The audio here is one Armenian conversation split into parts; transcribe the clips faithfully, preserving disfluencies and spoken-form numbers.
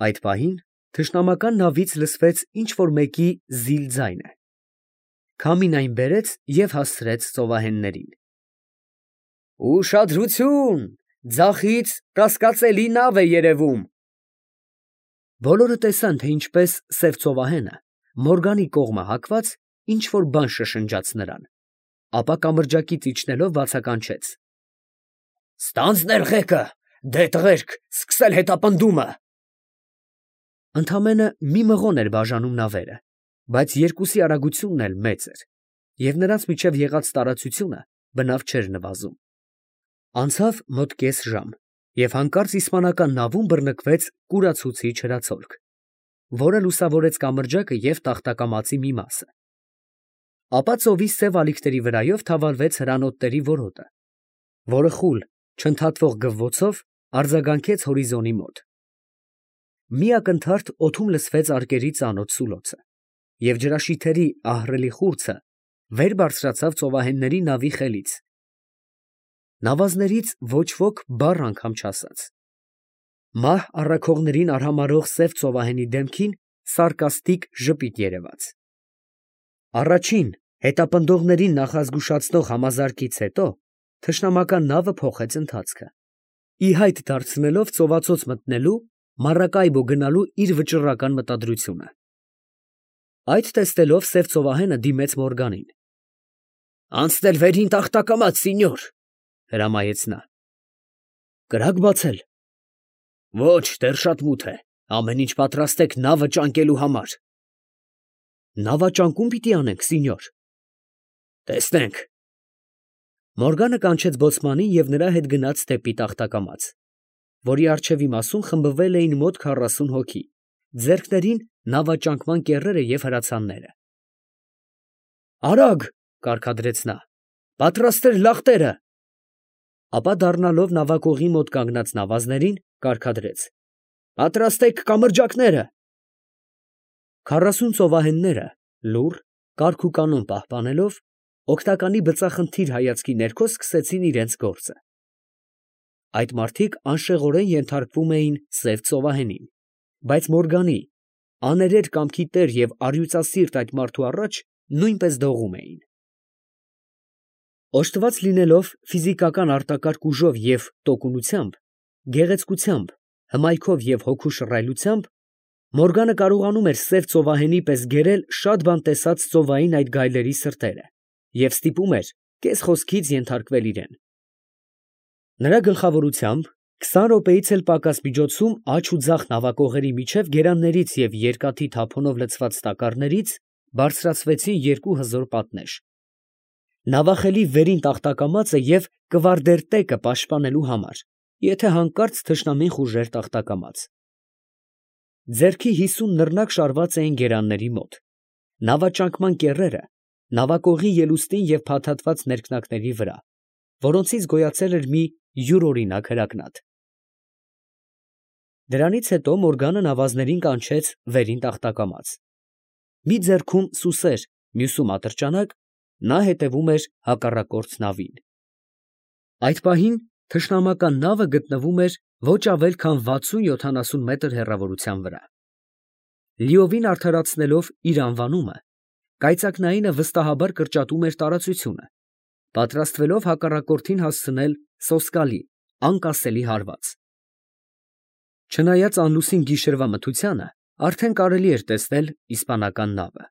Այդ պահին թշնամական նավից լսվեց ինչ֊որ մեկի զիլ ձայնը. քամին այն բերեց և հասցրեց ծովահեններին։ «Ուշադրություն, ձախից կասկածելի նավ է երևում»։ Բոլորը տեսան, թե ինչպես սև ծովահենը, Մորգանի կողմը հակված, ինչ֊որ բան շշնջաց նրան, ապա կամրջակից իջնելով բացականչեց. «Ստանձնել ղեկը, դե տղերք, սկսել հետապնդումը»։ Ընդամենը մի մղոն էր բաժանում նավերը, բայց երկուսի արագությունն էլ մեծ էր, և նրանց միջև եղած տարածությունը բնավ չէր նվազում։ Անցավ մոտ կես ժամ, և հանկարծ իսպանական նավում բռնկվեց կուրացուցիչ հրացոլք, որը լուսավորեց կամրջակը և տախտակամածի մի մասը։ Ապա ծովի սև ալիքների վրայով թավալվեց հրանոթների որոտը, որը խուլ, չընդհատվող գվվոցով արձագանքեց հորիզոնի մոտ։ Մի ակնթարթ օդում լսվեց արկերի ծանոթ սուլոցը, և ջրաշիթերի ահռելի խուրձը վեր բարձրացավ ծովահենների նավի խելից։ Նավազներից ոչ ոք բառ անգամ չասաց։ Մահ առաքողներին արհամարհող սև ծովահենի դեմքին սարկաստիկ ժպիտ երևաց։ Առաջին հետապնդողներին նախազգուշացնող համազարկից հետո թշնամական նավը փոխեց ընթացքը, ի հայտ դարձնելով ծովացոց մտնելու, Մարակայբո գնալու իր վճռական մտադրությունը։ Այդ տեսնելով սև ծովահենը դիմեց Մորգանին։ «Անցնել վերին տախտակամաց, սինյոր», հրամայեց նա։ «Կրակ բացել»։ «Ոչ, դեռ շատ մութ է, ամեն ինչ պատրաստեք նավը ճանկելու համար»։ «Նավաճանկո՞ւմ պիտի անենք, սինյոր»։ «Տեսնենք»։ Մորգանը կանչեց բոցմանին և նրա հետ գնաց դեպի տախտակամաց, որի առջևի մասում խմբվել էին մոտ քառասուն հոգի, ձեռքներին նավաճանկման կեռերը և հրացանները։ «Արագ», կարգադրեց նա, «պատրաստել լախտերը»։ Ապա դառնալով նավակողի մոտ կանգնած նավազներին, կարգադրեց. «Պատրաստեք կամրջակները»։ Քառասուն ծովահենները լուռ, կարգուկանոն պահպանելով, օգնականի բծախնդիր հայացքի ներքո սկսեցին իրենց գործը։ Այդ մարդիկ անշեղորեն ենթարկվում էին սև ծովահենին, բայց Մորգանի, աներեր կամքի տեր և առյուծասիրտ այդ մարդու առաջ նույնպես դողում էին։ Օժտված լինելով ֆիզիկական արտակարգ ուժով և տոկունությամբ, գեղեցկությամբ, հմայքով և հոգու շռայլությամբ, Մորգանը կարողանում էր սև ծովահենի պես գերել շատ բան տեսած ծովային այդ գայլերի սրտերը և ստիպում էր կես խոսքից ենթարկվել իրան։ Նրա գլխավորությամբ քսան րոպեից էլ պակաս միջոցում աջ ու ձախ նավակողերի միջև գերաններից և երկաթի թափոնով լցված տակառներից բարձրացվեցին երկու հզոր պատնեշ, նավախելի վերին տախտակամածը և կվարդերտեկը պաշտպանելու համար, եթե հանկարծ թշնամին խուժեր տախտակամած։ Ձեռքի հիսուն նռնակ շարված էին գերանների մոտ, նավաճանկման կեռերը նավակողի ելուստին և փաթաթված ներքնակների վրա, որոնցից գոյացել էր մի յուրօրինակ հրակնաթ։ Դրանից հետո Մորգանը նավազներին կանչեց վերին տախտակամաց։ Մի ձեռքում սուսեր, մյուսում ատրճանակ, նա հետևում էր հակառակորդ նավին։ Այդ պահին թշնամական նավը գտնվում էր ոչ ավել քան վաթսուն֊յոթանասուն մետր հեռավորության վրա։ Լիովին արդարացնելով իր անվանումը, կայծակնայինը վստահաբար կրճատում էր տարածությունը, պատրաստվելով հակառակորդին հասցնել սոսկալի, անկասելի հարված։ Չնայած անլուսին գիշերվա մթությանը, արդեն կարելի էր տեսնել իսպանական նավը։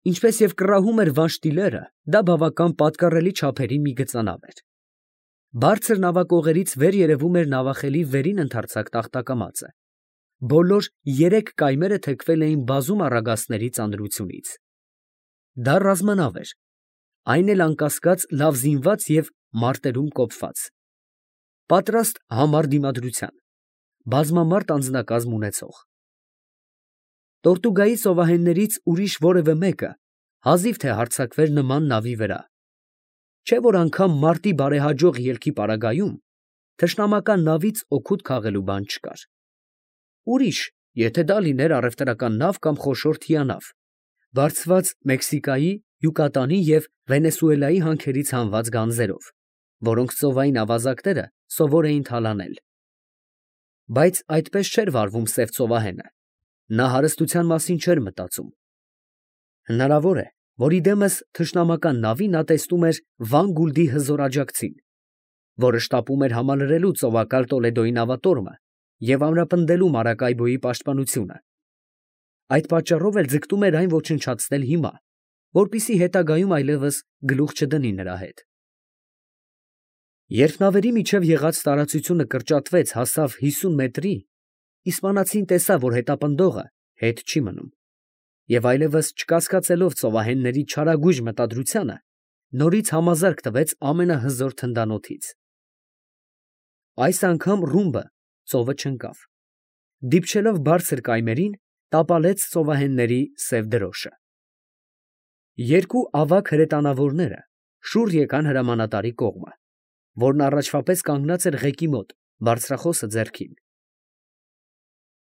Ինչպես և կռահում էր Վանշտիլերը, դա բավական պատկառելի չափերի մի գծանավ էր։ Բարձր նավակողերից վեր երևում էր նավախելի վերին ընդարձակ տախտակամածը, բոլոր երեք կայմերը թեքվել էին բազում առագաստների ծանրությունից։ Դա ռազմանավ էր, այն էլ անկասկած լավ զինված և մարտերում կոփված, պատրաստ համառ դիմադրության, բազմամարդ անձնակազմ ունեցող։ Տորտուգայի ծովահեններից ուրիշ որևէ մեկը հազիվ թե հարձակվեր նման նավի վրա, չէ՞ որ անգամ մարտի բարեհաջող ելքի պարագայում թշնամական նավից օգուտ քաղելու բան չկար։ Ուրիշ, եթե դա լիներ առևտրական նավ կամ խոշոր թիանավ, բարձված Մեքսիկայի, Յուկատանի և Վենեսուելայի հանքերից հանված գանձերով, որոնք ծովային ավազակները սովոր էին թալանել։ Բայց այդպես չէր վարվում սև ծովահենը. նա հարստության մասին չէր մտածում. հնարավոր է, որ իդեմս թշնամական նավի նա տեսնում էր Վան Գուլդի հզոր աջակցին, որը շտապում էր համալրելու ծովակալ Տոլեդոյի նավատորմը և ամրապնդելու Մարակայբոյի պաշտպանությունը. այդ պատճառով էլ ձգտում էր այն ոչնչացնել հիմա, որպեսզի հետագայում այլևս գլուխ չդնի նրա հետ։ Երբ նավերի միջև եղած տարածությունը կրճատվեց, հասավ հիսուն մետրի, իսպանացին տեսավ, որ հետապնդողը հետ չի մնում, և այլևս չկասկածելով ծովահենների չարագույժ մտադրությանը, նորից համազարկ տվեց ամենահզոր թնդանոթից։ Այս անգամ ռումբը ծովը չընկավ. դիպչելով բարձր կայմերին, տապալեց ծովահենների սև դրոշը։ Երկու ավագ հրետանավորները շուռ եկան հրամանատարի կողմը, որն առաջվա պես կանգնած էր ղեկի մոտ, բարձրախոսը ձեռքին։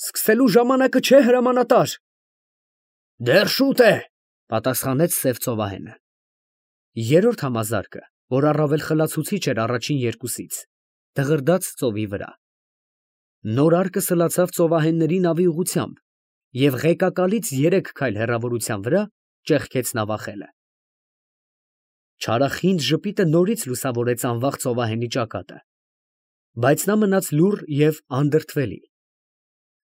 «Սկսելու ժամանակը չէ, հրամանատար»։ «Դեռ շուտ է», պատասխանեց սև ծովահենը։ Երրորդ համազարկը, որ առավել խլացուցիչ էր առաջին երկուսից, դղրդաց ծովի վրա։ Նոր արկը սլացավ ծովահենների նավի ուղղությամբ և ղեկակալից երեք քայլ հեռավորության վրա ճեղքեց նավախելը։ Չարախինդ ժպիտը նորից լուսավորեց անվախ ծովահենի ճակատը, բայց նա մնաց լուռ և անդրդվելի։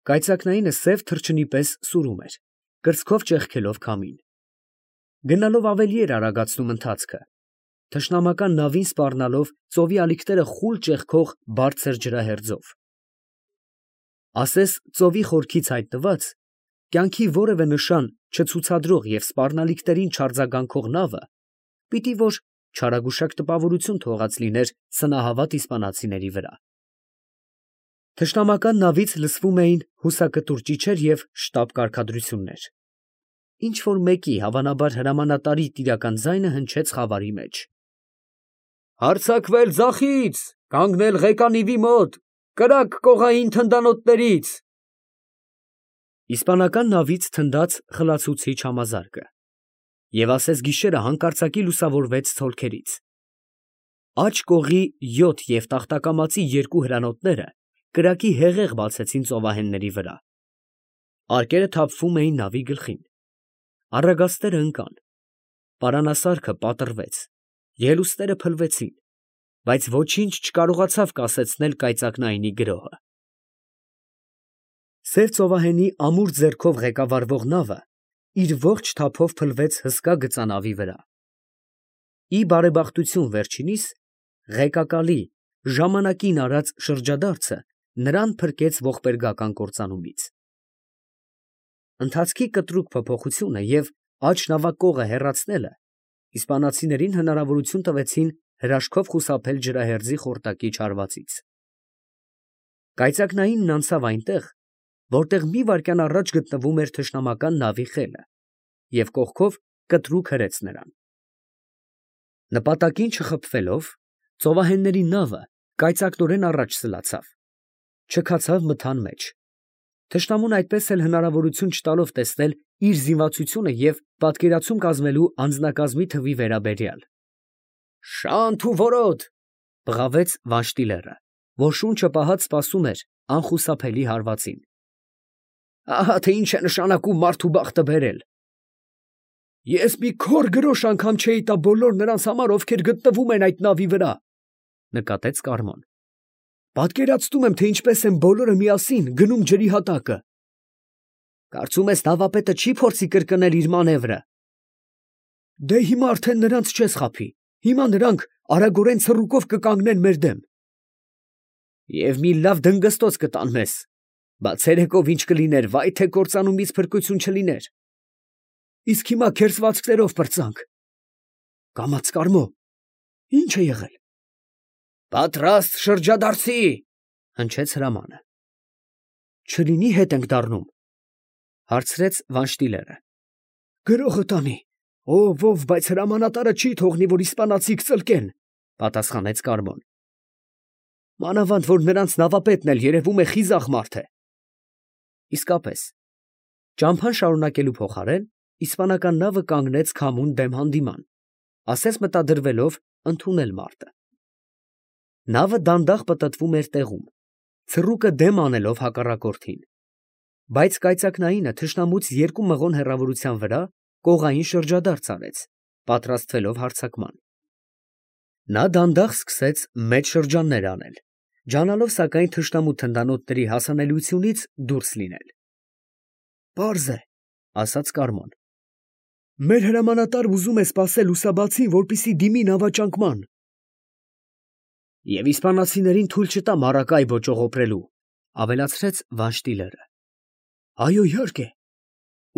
Կայծակնայինը սև թռչնի պես սուրում էր, կրծքով ճեղքելով քամին։ Գնալով ավելի էր արագացնում ընթացքը, թշնամական նավին սպառնալով ծովի ալիքները խուլ ճեղքող բարձր ջրահերձով։ Ասես ծովի խորքից հայտնված, կյանքի որևէ նշան չցուցադրող և սպառնալիքներին չարձագանքող նավը պիտի որ չարագուշակ տպավորություն թողած լիներ սնահավատ իսպանացիների վրա։ Թշնամական նավից լսվում էին հուսակտուր ճիչեր և շտապ կարգադրություններ։ Ինչ֊որ մեկի, հավանաբար հրամանատարի տիրական ձայնը հնչեց խավարի մեջ. «Հարձակվել ձախից, կանգնել ղեկանիվի մոտ, կրակ կողային թնդանոթներից»։ Իսպանական նավից թնդաց խլացուցիչ համազարկը, և ասես գիշերը հանկարծակի լուսավորվեց ցոլքերից։ Աջ կողի յոթ և տախտակամածի երկու հրանոթները կրակի հեղեղ բացեցին ծովահենների վրա։ Արկերը թափվում էին նավի գլխին։ Առագաստերը ընկան։ Պարանասարքը պատռվեց, ելուստները փլվեցին, բայց ոչինչ չկարողացավ կասեցնել կայծակնայինի գրոհը։ Սև ծովահենի ամուր ձեռքով ղեկավարվող նավը իր ողջ թափով փլվեց հսկա գծանավի վրա։ Ի բարեբախտություն վերջինիս, ղեկակալի ժամանակին արած շրջադարձը նրան փրկեց ողբերգական կործանումից։ Ընթացքի կտրուկ փոփոխությունը և աջ նավակողը հեռացնելը իսպանացիներին հնարավորություն տվեցին հրաշքով խուսափել ջրահերձի խորտակի չարվածից։ Կայծակնայինն անցավ այնտեղ, որտեղ մի վայրկյան առաջ գտնվում էր թշնամական նավի խելը, և կողքով կտրուկ հրեց նրան։ Նպատակին չխփվելով, ծովահենների նավը կայծակնորեն առաջ սլացավ, չքացավ մթան մեջ։ Թշնամուն այդպես էլ հնարավորություն չտալով տեսնել իր զինվածությունը և պատկերացում կազմելու անձնակազմի թվի վերաբերյալ։ «Շանթ ու որոտ», բղավեց Վանշտիլերը, որ շունչը պահած սպասում էր անխուսափելի հարվածին։ «Ահա թե ինչ է նշանակում մարդու բախտը բերել»։ «Ես մի քոր գրոշ անգամ չէի տա բոլոր նրանց համար, ովքեր գտնվում են այդ նավի վրա», նկատեց Կարմոն։ «Պատկերացնում եմ, թե ինչպես են բոլորը միասին գնում ջրի հատակը»։ «Կարծում ես նավապետը չի փորձի կրկնել իր մանևրը»։ «Դե հիմա արդեն նրանց չես խաբի, հիմա նրանք արագորեն ցռուկով կկանգնեն մեր դեմ»։ «Եվ մի լավ դնգստոց կտան մեզ, բա ցերեկով ինչ կլիներ, վայ թե կործանումից փրկություն չլիներ»։ «Իսկ հիմա քերծվածքներով պրծանք»։ «Կամաց, Կարմո, ի՞նչ է եղել»։ «Պատրաստ շրջադարձի», հնչեց հրամանը։ «Չլինի հետ ենք դառնում», հարցրեց Վանշտիլերը։ «Գրողը տանի, ով ով, բայց հրամանատարը չի թողնի, որ իսպանացիք ծլկեն», պատասխանեց Կարմոն։ «Մանավանդ որ նրանց նավապետն էլ երևում է խիզախ մարդ է»։ Իսկապես, ճամփան շարունակելու փոխարեն իսպանական նավը կանգնեց քամուն դեմ հանդիման, ասես մտադրվելով ընդունել մարտը։ Նավը դանդաղ պտտվում էր տեղում, ցռուկը դեմ անելով հակառակորդին, բայց կայծակնայինը թշնամուց երկու մղոն հեռավորության վրա կողային շրջադարձ արեց, պատրաստվելով հարձակման։ Նա դանդաղ սկսեց մեծ շրջաններ անել, ջանալով սակայն թշնամու թնդանոթների հասանելիությունից դուրս լինել։ «Պարզ է, ֊ ասաց Կարմոն, ֊ մեր հրամանատարն ուզում է սպասել լուսաբացին, որպեսզի դիմի նավաճանկման։ Եվ իսպանացիներին թույլ չտա Մարակայ ոճողոպրելու, ֊ ավելացրեց Վանշտիլերը։ Այո, իհարկե,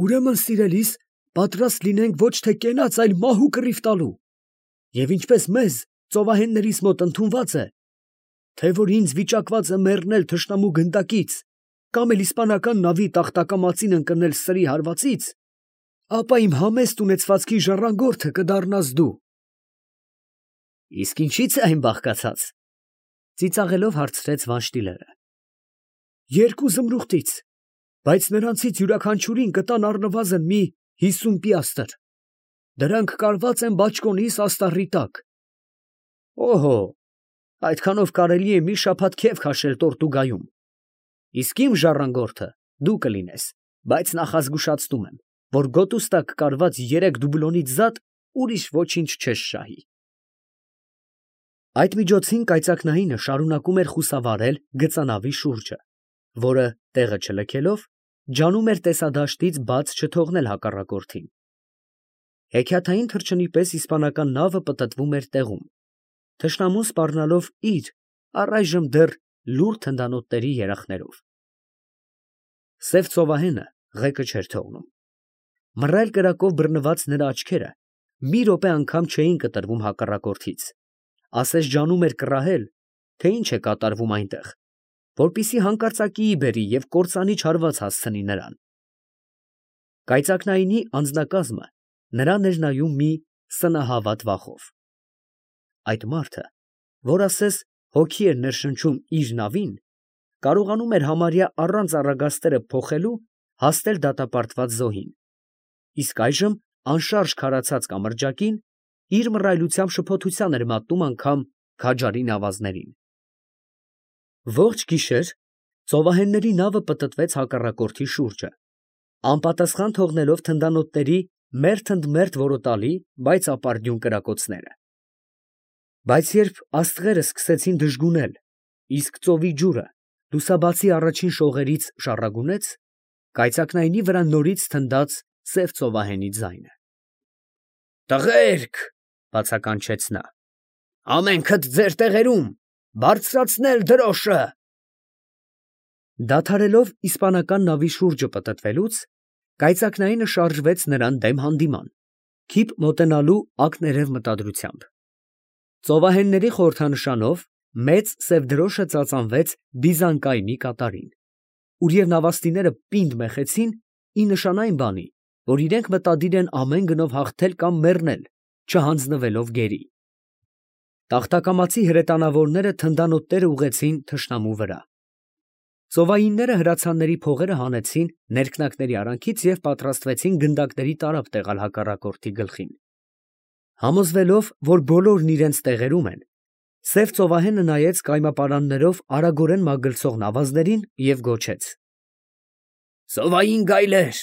ուրեմն, սիրելիս, պատրաստ լինենք ոչ թե կենաց, այլ մահու կռիվ տալու, և ինչպես մեզ, ծովահեններիս մոտ ընդունված է, թե որ ինձ վիճակված է մեռնել թշնամու գնդակից, կամ էլ իսպանական նավի տախտակամածին ընկնել սրի հարվածից, ապա իմ համեստ ունեցվածքի ժառանգորդը կդառնաս դու։ Իսկ ինչի՞ց է այն բաղկացած, ֊ ծիծաղելով հարցրեց Վանշտիլերը։ Երկու զմրուխտից, բայց նրանցից յուրաքանչյուրին կտան առնվազն մի հիսուն պիաստր. դրանք կարված են բաճկոնիս աստառի տակ։ Օհո, այդքանով կարելի է մի շաբաթ քեֆ քաշել Տորտուգայում։ Իսկ իմ ժառանգորդը դու կլինես, բայց նախազգուշացնում եմ, որ գոտուս տակ կարված երեք դուբլոնից զատ ուրիշ ոչինչ չես շահի։ Այդ միջոցին կայծակնայինը շարունակում էր խուսավարել գծանավի շուրջը, որը, տեղը չլքելով, ջանում էր տեսադաշտից բաց չթողնել հակառակորդին։ Հեքիաթային թռչնի պես իսպանական նավը պտտվում էր տեղում, թշնամուն սպառնալով իր, առայժմ դեռ լուռ թնդանոթների երախներով։ Սև ծովահենը ղեկը չէր թողնում։ Մռայլ կրակով բռնված նրա աչքերը մի րոպե անգամ չէին կտրվում հակառակորդից, ասես ջանում էր կռահել, թե ինչ է կատարվում այնտեղ, որպեսզի հանկարծակիի բերի և կործանի չարված հասցնի նրան։ Կայծակնայինի անձնակազմը նրան էր նայում մի սնահավատ վախով։ Այդ մարդը, որ ասես հոգի էր ներշնչում իր նավին, կարողանում էր համարյա առանց առագաստերը փոխելու հասնել դատապարտված զոհին, իսկ այժմ անշարժ քարացած կամրջակին իր մռայլությամբ շփոթության էր մատնում անգամ քաջարի նավազներին։ Ողջ գիշեր ծովահենների նավը պտտվեց հակառակորդի շուրջը, անպատասխան թողնելով թնդանոթների մերթ ընդ մերթ որոտալի, բայց ապարդյուն կրակոցները։ Բայց երբ աստղերը սկսեցին դժգունել, իսկ ծովի ջուրը լուսաբացի առաջին շողերից շառագունեց, կայծակնայինի վրա նորից թնդաց սև ծովահենի ձայնը։ «Տղե՛րք, ֊ բացականչեց նա, ֊ ամենքդ ձեր տեղերում, բարձրացնել դրոշը»։ Դադարելով իսպանական նավի շուրջը պտտվելուց, կայծակնայինը շարժվեց նրան դեմ հանդիման, քիփ մոտենալու ակներև մտադրությամբ։ Ծովահենների խորհրդանշանով մեծ սև դրոշը ծածանվեց Բիզանկայնի կատարին, ուր և նավաստիները պինդ մեխեցին ի նշան այն բանի, որ իրենք մտադիր են ամեն գնով հաղթել կամ մեռնել, չհանձնվելով գերի։ Տախտակամածի հրետանավորները թնդանոթները ուղղեցին թշնամու վրա։ Ծովայինները հրացանների փողերը հանեցին ներքնակների արանքից և պատրաստվեցին գնդակների տարափ տեղալ հակառակորդի գլխին։ Համոզվելով, որ բոլորն իրենց տեղերում են, սև ծովահենը նայեց կայմապարաններով արագորեն մագլցող նավազներին և գոչեց. «Ծովային գայլեր,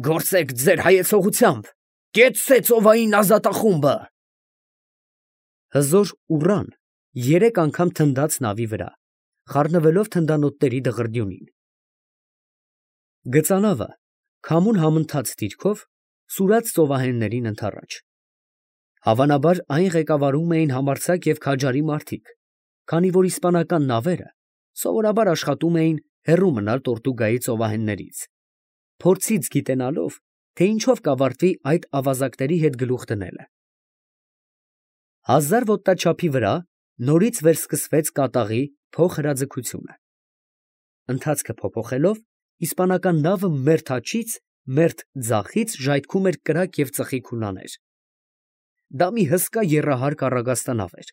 գործեք ձեր հայեցողությամբ, կեցցե ծովային ազատախումբը»։ Հզոր ուռան երեք անգամ թնդաց նավի վրա, խառնվելով թնդանոթների դղրդյունին։ Գծանավը քամուն համընթաց դիրքով սուրաց ծովահեններին ընդառաջ։ Հավանաբար այն ղեկավարում էին համարձակ և քաջարի մարդիկ, քանի որ իսպանական նավերը սովորաբար աշխատում էին հեռու մնալ Տորտուգայի ծովահեններից, փորձից գիտենալով, թե ինչով կավարտվի այդ ավազակների հետ գլուխ դնելը։ Հազար ոտնաչափի վրա նորից վերսկսվեց կատաղի փոխհրաձգությունը։ Ընթացքը փոփոխելով, իսպանական նավը մերթ աջից, մերթ ձախից ժայթքում էր կրակ և ծխի քուլաներ։ Դա մի հսկա եռահարկ առագաստանավ էր,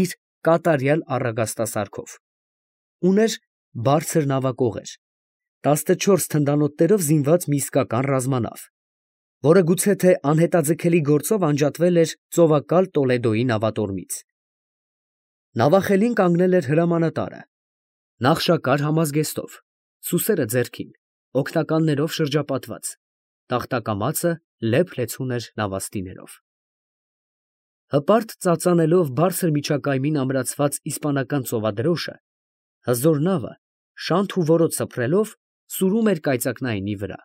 իր կատարյալ առագաստասարքով։ Ուներ բարձր նավակողեր, տասնչորս թնդանոթներով զինված մի իսկական ռազմանավ, որը գուցե թե անհետաձգելի գործով անջատվել էր ծովակալ Տոլեդոյի նավատորմից։ Նավախելին կանգնել էր հրամանատարը, Նախշակար համազգեստով, սուսերը ձեռքին, օգնականներով շրջապատված, տախտակամածը լեփ-լեցուն էր նավաստիներով։ Հպարտ ծածանելով բարձր միջակայմին ամրացված իսպանական ծովադրոշը, հզոր նավը շանթ ու որոտ սփռելով սուրում էր կայծակնայինի վրա։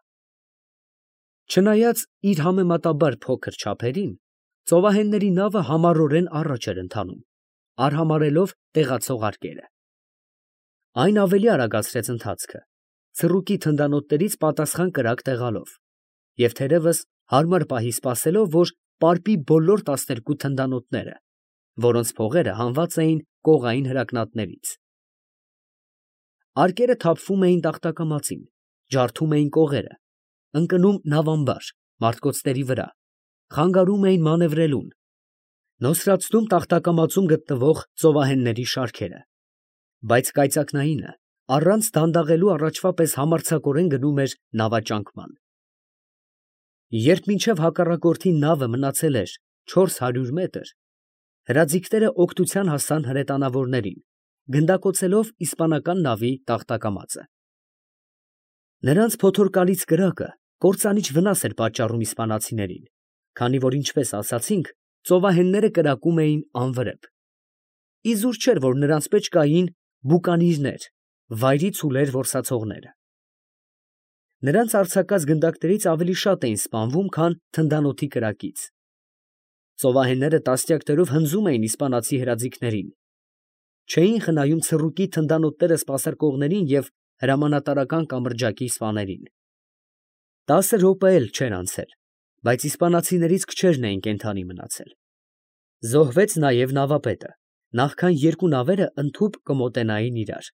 Չնայած իր համեմատաբար փոքր չափերին, ծովահենների նավը համառորեն առաջ էր ընթանում, արհամարհելով տեղացող արկերը։ Այն ավելի արագացրեց ընթացքը, ցռուկի թնդանոթներից պատասխան կրակ տեղալով, և թերևս հարմար պահի սպասելով, որ պարպի բոլոր տասներկու թնդանոթները, որոնց փողերը հանված էին կողային հրակնատներից։ Արկերը թափվում էին տախտակամածին, ջարդում էին կողերը, ընկնում նավամբար, մարտկոցների վրա, խանգարում էին մանևրելուն, նոսրացնում տախտակամածում գտնվող ծովահենների շարքերը, բայց կայծակնայինը առանց դանդաղելու առաջվա պես համարձակորեն գնում էր նավաճանկման։ Երբ մինչև հակառակորդի նավը մնացել էր չորս հարյուր մետր, հրաձիգները օգնության հասան հրետանավորներին, գնդակոծելով իսպանական նավի տախտակամածը։ Նրանց փոթորկալից կրակը կործանիչ վնաս էր պատճառում իսպանացիներին, քանի որ, ինչպես ասացինք, ծովահենները կրակում էին անվրեպ։ Իզուր չէր, որ նրանց մեջ կային բուկանիրներ, վայրի ցուլեր որսացողները։ Նրանց արձակած գնդակներից ավելի շատ էին սպանվում, քան թնդանոթի կրակից։ Ծովահենները տասնյակներով հնձում էին իսպանացի հրաձիգներին, չէին խնայում ցռուկի թնդանոթները սպասարկողներին և հրամանատարական կամրջակի սպաներին։ Տասը րոպե էլ չէր անցել, բայց իսպանացիներից քչերն էին կենդանի մնացել։ Զոհվեց նաև նավապետը, նախքան երկու նավերը ընդհուպ կմոտենային իրար։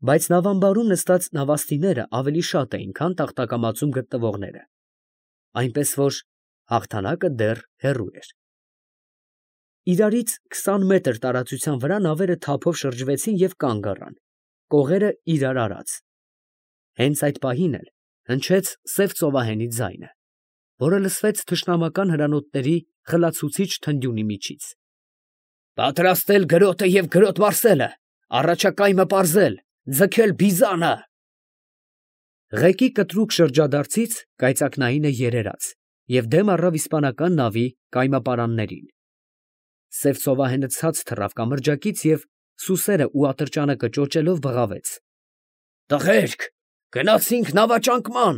Բայց նավամբարում նստած նավաստիները ավելի շատ էին, քան տախտակամածում գտնվողները, այնպես որ հաղթանակը դեռ հեռու էր։ Իրարից քսան մետր տարածության վրա նավերը թափով շրջվեցին և կանգ առան, կողերը իրար արած։ Հենց այդ պահին էլ հնչեց սև ծովահենի ձայնը, որը լսվեց թշնամական հրանոթների խլացուցիչ թնդյունի միջից։ «Պատրաստել գրոտը և գրոտ մարսելը, առաջակայմը պարզել, ձգել բիզանը»։ Ղեկի կտրուկ շրջադարձից կայծակնայինը երերաց և դեմ առավ իսպանական նավի կայմապարաններին։ Սև ծովահենը ցած թռավ կամրջակից և, սուսերն ու ատրճանը կճոճելով, բղավեց. «Տղե՛րք, գնացինք նավաճանկման»։